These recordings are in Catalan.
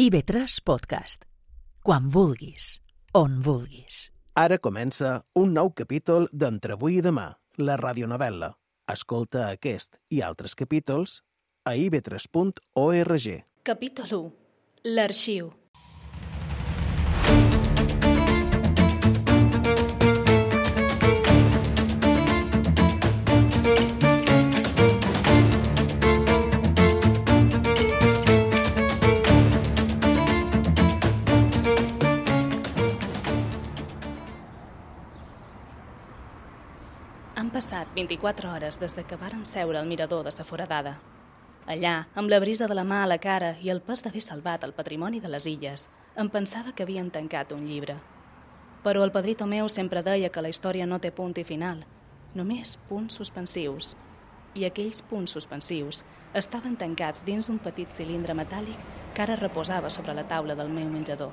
IB3 Podcast. Quan vulguis, on vulguis. Ara comença un nou capítol d'Entre avui i demà, la radionovel·la. Escolta aquest i altres capítols a ib3.org. Capítol 1. L'arxiu. Han passat 24 hores des que vàrem seure al mirador de sa Foradada. Allà, amb la brisa de la mà a la cara i el pes d'haver salvat el patrimoni de les illes, em pensava que havien tancat un llibre. Però el padrí Tomeu sempre deia que la història no té punt i final, només punts suspensius. I aquells punts suspensius estaven tancats dins d'un petit cilindre metàl·lic que ara reposava sobre la taula del meu menjador.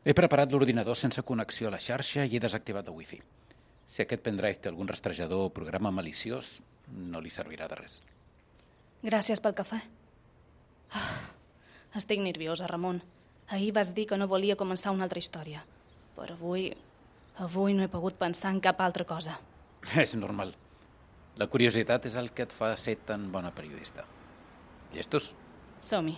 He preparat l'ordinador sense connexió a la xarxa i he desactivat el wifi. Si aquest pendrive té algun rastrejador o programa maliciós, no li servirà de res. Gràcies pel cafè. Estic nerviosa, Ramon. Ahir vas dir que no volia començar una altra història. Però avui no he pogut pensar en cap altra cosa. És normal. La curiositat és el que et fa ser tan bona periodista. Llestos? Som-hi.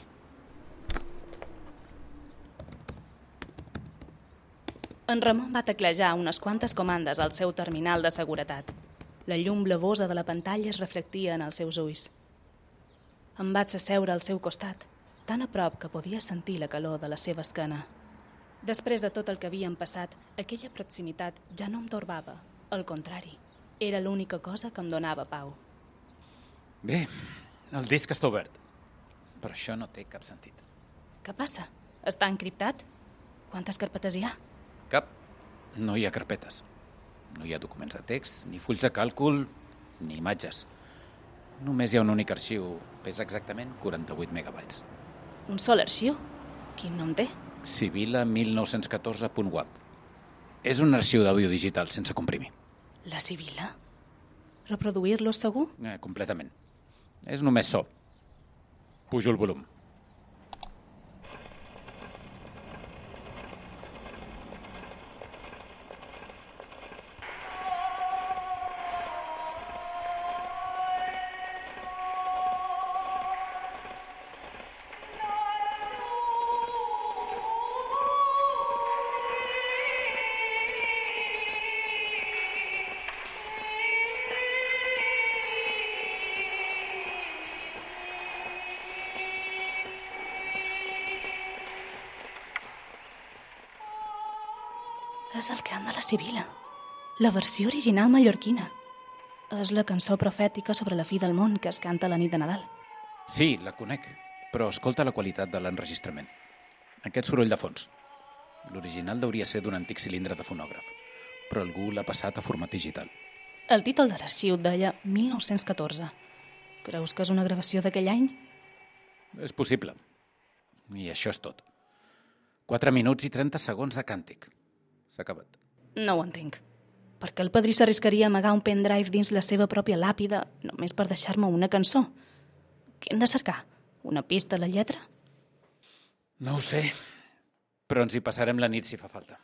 En Ramon va teclejar unes quantes comandes al seu terminal de seguretat. La llum blavosa de la pantalla es reflectia en els seus ulls. Em vaig asseure al seu costat, tan a prop que podia sentir la calor de la seva esquena. Després de tot el que havíem passat, aquella proximitat ja no em torbava. Al contrari, era l'única cosa que em donava pau. Bé, el disc està obert, però això no té cap sentit. Què passa? Està encriptat? Quantes carpetes hi ha? Cap. No hi ha carpetes. No hi ha documents de text, ni fulls de càlcul, ni imatges. Només hi ha un únic arxiu. Pesa exactament 48 megabytes. Un sol arxiu? Quin nom té? Sibila 1914.wap. És un arxiu d'àudio digital sense comprimir. La Sibila? Reproduir-lo segur? Completament. És només so. Pujo el volum. És el cant de la Sibila, la versió original mallorquina. És la cançó profètica sobre la fi del món que es canta la nit de Nadal. Sí, la conec, però escolta la qualitat de l'enregistrament. Aquest soroll de fons. L'original hauria ser d'un antic cilindre de fonògraf, però algú l'ha passat a format digital. El títol de l'arxiu deia 1914. Creus que és una gravació d'aquell any? És possible. I això és tot. 4 minuts i 30 segons de càntic. S'ha acabat. No ho entenc. Per què el padrí s'arriscaria a amagar un pendrive dins la seva pròpia làpida només per deixar-me una cançó? Què hem de cercar? Una pista a la lletra? No ho sé, però ens hi passarem la nit si fa falta.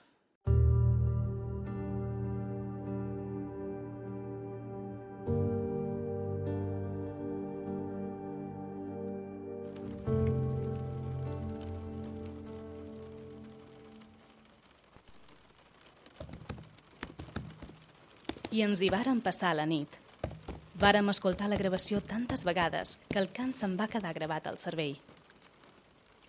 I ens hi vàrem passar la nit. Vàrem escoltar la gravació tantes vegades que el cant se'n va quedar gravat al cervell.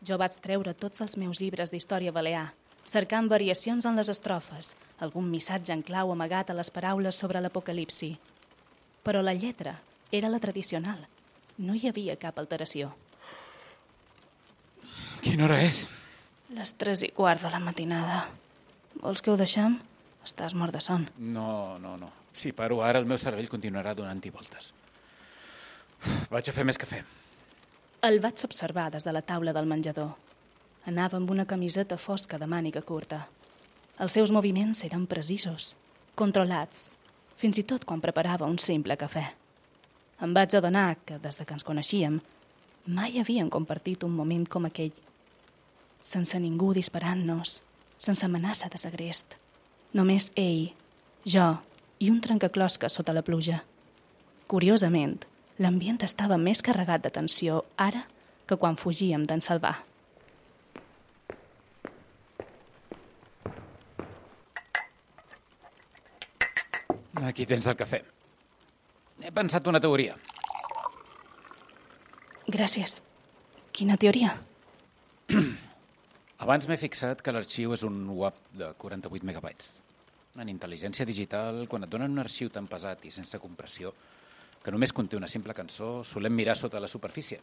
Jo vaig treure tots els meus llibres d'història balear, cercant variacions en les estrofes, algun missatge en clau amagat a les paraules sobre l'apocalipsi. Però la lletra era la tradicional. No hi havia cap alteració. Quina hora és? Les 3:15 de la matinada. Vols que ho deixem? Estàs mort de son. No. Si paro ara, el meu cervell continuarà donant-hi voltes. Vaig a fer més cafè. El vaig observar des de la taula del menjador. Anava amb una camiseta fosca de màniga curta. Els seus moviments eren precisos, controlats. fins i tot quan preparava un simple cafè. Em vaig adonar que, des que ens coneixíem, mai havíem compartit un moment com aquell. Sense ningú disparant-nos, sense amenaça de segrest. Només ell, jo i un trencaclosca sota la pluja. Curiosament, l'ambient estava més carregat de tensió ara que quan fugíem d'en Salvà. Aquí tens el cafè. He pensat una teoria. Gràcies. Quina teoria? Abans m'he fixat que l'arxiu és un WAP de 48 megabytes. En intel·ligència digital, quan et donen un arxiu tan pesat i sense compressió que només conté una simple cançó, solem mirar sota la superfície,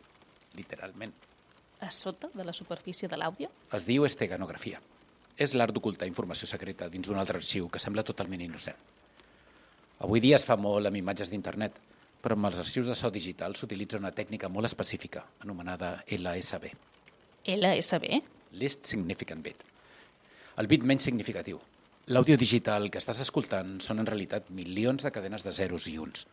literalment. A sota de la superfície de l'àudio? Es diu esteganografia. És l'art d'ocultar informació secreta dins d'un altre arxiu que sembla totalment innocent. Avui dia es fa molt amb imatges d'internet, però amb els arxius de so digital s'utilitza una tècnica molt específica, anomenada LSB. LSB? Least Significant Bit. El bit menys significatiu. L'àudio digital que estàs escoltant són en realitat milions de cadenes de zeros i uns.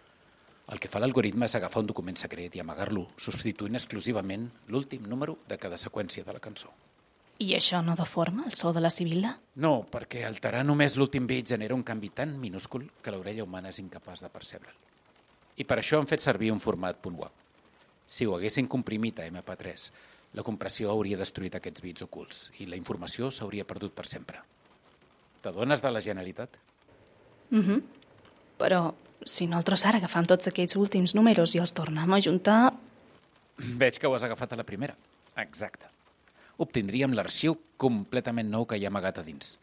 El que fa l'algoritme és agafar un document secret i amagar-lo, substituint exclusivament l'últim número de cada seqüència de la cançó. I això no deforma el so de la sibilla? No, perquè alterar només l'últim bit genera un canvi tan minúscul que l'orella humana és incapaç de percebre'l. I per això han fet servir un format .wav. Si ho haguessin comprimit a MP3, la compressió hauria destruït aquests bits ocults i la informació s'hauria perdut per sempre. T'adones de la genialitat? Però si nosaltres ara agafam tots aquests últims números i els tornem a ajuntar... Veig que ho has agafat a la primera. Exacte. Obtindríem l'arxiu completament nou que hi ha amagat a dins.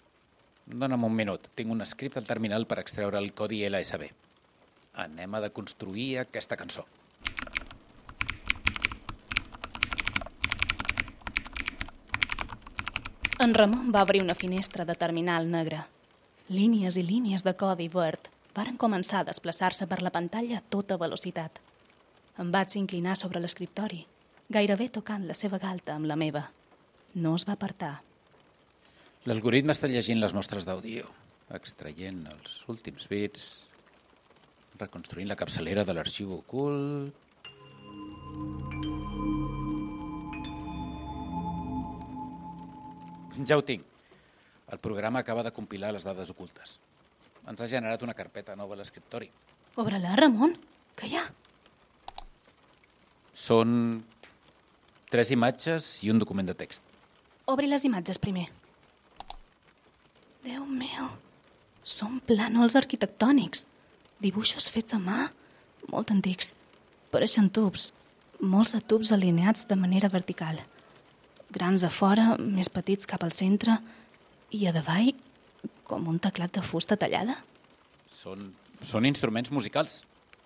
Dóna'm un minut. Tinc un script al terminal per extreure el codi LSB. Anem a deconstruir aquesta cançó. En Ramon va obrir una finestra de terminal negre. Línies i línies de codi verd varen començar a desplaçar-se per la pantalla a tota velocitat. Em vaig inclinar sobre l'escriptori, gairebé tocant la seva galta amb la meva. No es va apartar. L'algoritme està llegint les mostres d'àudio, extraient els últims bits, reconstruint la capçalera de l'arxiu ocult... Ja ho tinc. El programa acaba de compilar les dades ocultes. Ens ha generat una carpeta nova a l'escriptori. Obre-la, Ramon. Què hi ha? Són 3 imatges i un document de text. Obri les imatges primer. Déu meu, són plànols arquitectònics. Dibuixos fets a mà, molt antics. Pareixen tubs, molts de tubs alineats de manera vertical. Grans a fora, més petits cap al centre, i a davall, com un teclat de fusta tallada. Són instruments musicals.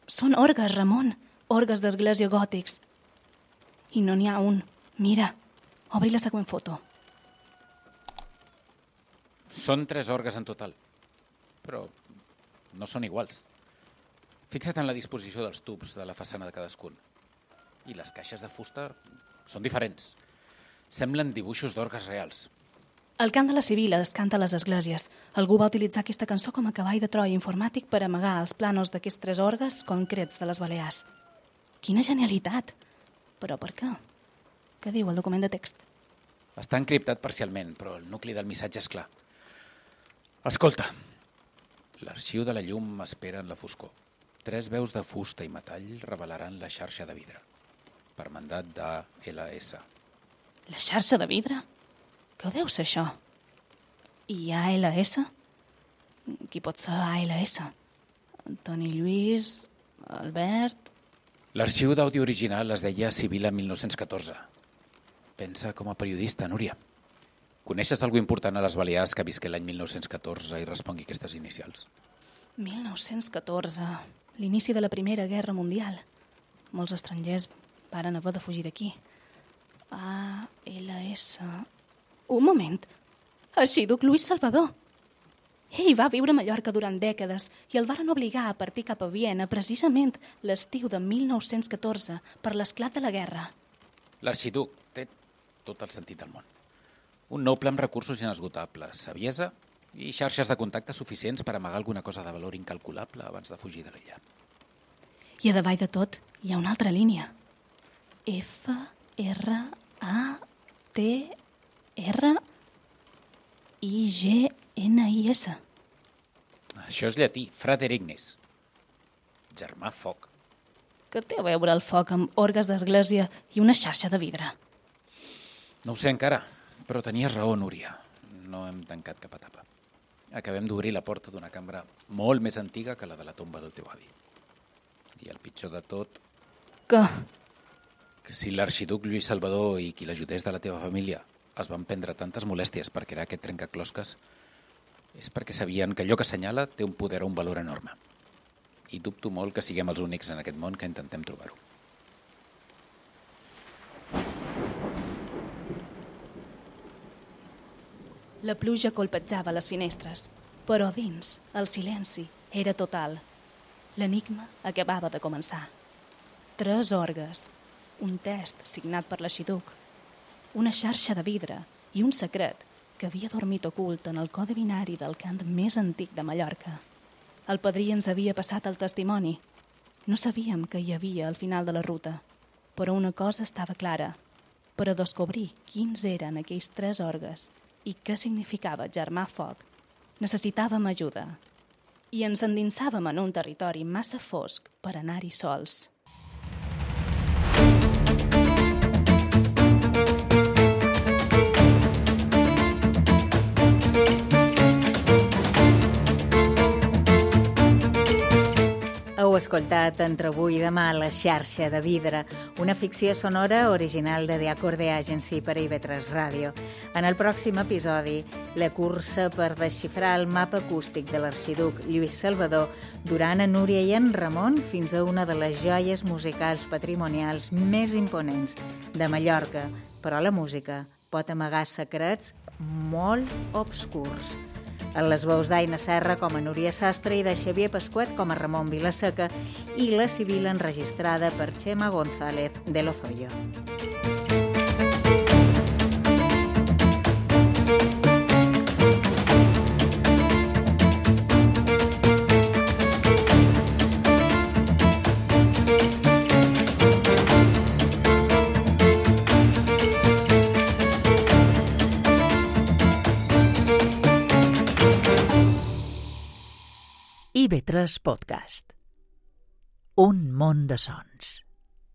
Són orgues, Ramon, orgues d'església gòtics. I no n'hi ha un. Mira, obri la següent foto. Són 3 orgues en total, però no són iguals. Fixa't en la disposició dels tubs de la façana de cadascun. I les caixes de fusta són diferents. Semblen dibuixos d'orgues reals. El cant de la Sibila es canta a les esglésies. Algú va utilitzar aquesta cançó com a cavall de Troia informàtic per amagar els plànols d'aquests 3 orgues concrets de les Balears. Quina genialitat! Però per què? Què diu el document de text? Està encriptat parcialment, però el nucli del missatge és clar. Escolta, l'arxiu de la llum espera en la foscor. 3 veus de fusta i metall revelaran la xarxa de vidre, per mandat d'ALS. La xarxa de vidre? Què deu ser això? I ALS? Qui pot ser ALS? Antoni Lluís, Albert... L'arxiu d'àudio original es deia Sibila 1914. Pensa com a periodista, Núria. Coneixes algú important a les Balears que visqué l'any 1914 i respongui aquestes inicials? 1914, l'inici de la Primera Guerra Mundial. Molts estrangers varen haver de fugir d'aquí. ALS... Un moment. Arxiduc Lluís Salvador. Ell va viure a Mallorca durant dècades i el varen obligar a partir cap a Viena precisament l'estiu de 1914 per l'esclat de la guerra. L'arxiduc té tot el sentit del món. Un noble amb recursos inesgotables, saviesa i xarxes de contacte suficients per amagar alguna cosa de valor incalculable abans de fugir de l'illa. I a davall de tot hi ha una altra línia. F-R-A-T-R-I-G-N-I-S. Això és llatí, Frater Ignis. Germà foc. Què té a veure el foc amb orgues d'església i una xarxa de vidre? No ho sé encara, però tenies raó, Núria. No hem tancat cap etapa. Acabem d'obrir la porta d'una cambra molt més antiga que la de la tomba del teu avi. I el pitjor de tot... Que si l'arxiduc Lluís Salvador i qui l'ajudés de la teva família es van prendre tantes molèsties per crear aquest trencaclosques, és perquè sabien que allò que assenyala té un poder o un valor enorme. I dubto molt que siguem els únics en aquest món que intentem trobar-ho. la pluja colpejava les finestres, però dins el silenci era total. L'enigma acabava de començar. 3 orgues, un test signat per l'arxiduc, una xarxa de vidre i un secret que havia dormit ocult en el codi binari del cant més antic de Mallorca. El padrí ens havia passat el testimoni. No sabíem què hi havia al final de la ruta, però una cosa estava clara. Per a descobrir quins eren aquells 3 orgues i què significava germà foc, necessitàvem ajuda. I ens endinsàvem en un territori massa fosc per anar-hi sols. Heu escoltat Entre avui i demà La xarxa de vidre, una ficció sonora original de The Acorde Agency per a IB3 Ràdio. En el pròxim episodi, la cursa per desxifrar el mapa acústic de l'arxiduc Lluís Salvador durant a Núria i en Ramon fins a una de les joies musicals patrimonials més imponents de Mallorca. Però la música pot amagar secrets molt obscurs. En les veus d'Aina Serra com a Núria Sastre i de Xavier Pasquet com a Ramon Vilaseca i la civil enregistrada per Chema González de Lozoya. IB3 Podcast. Un món de sons.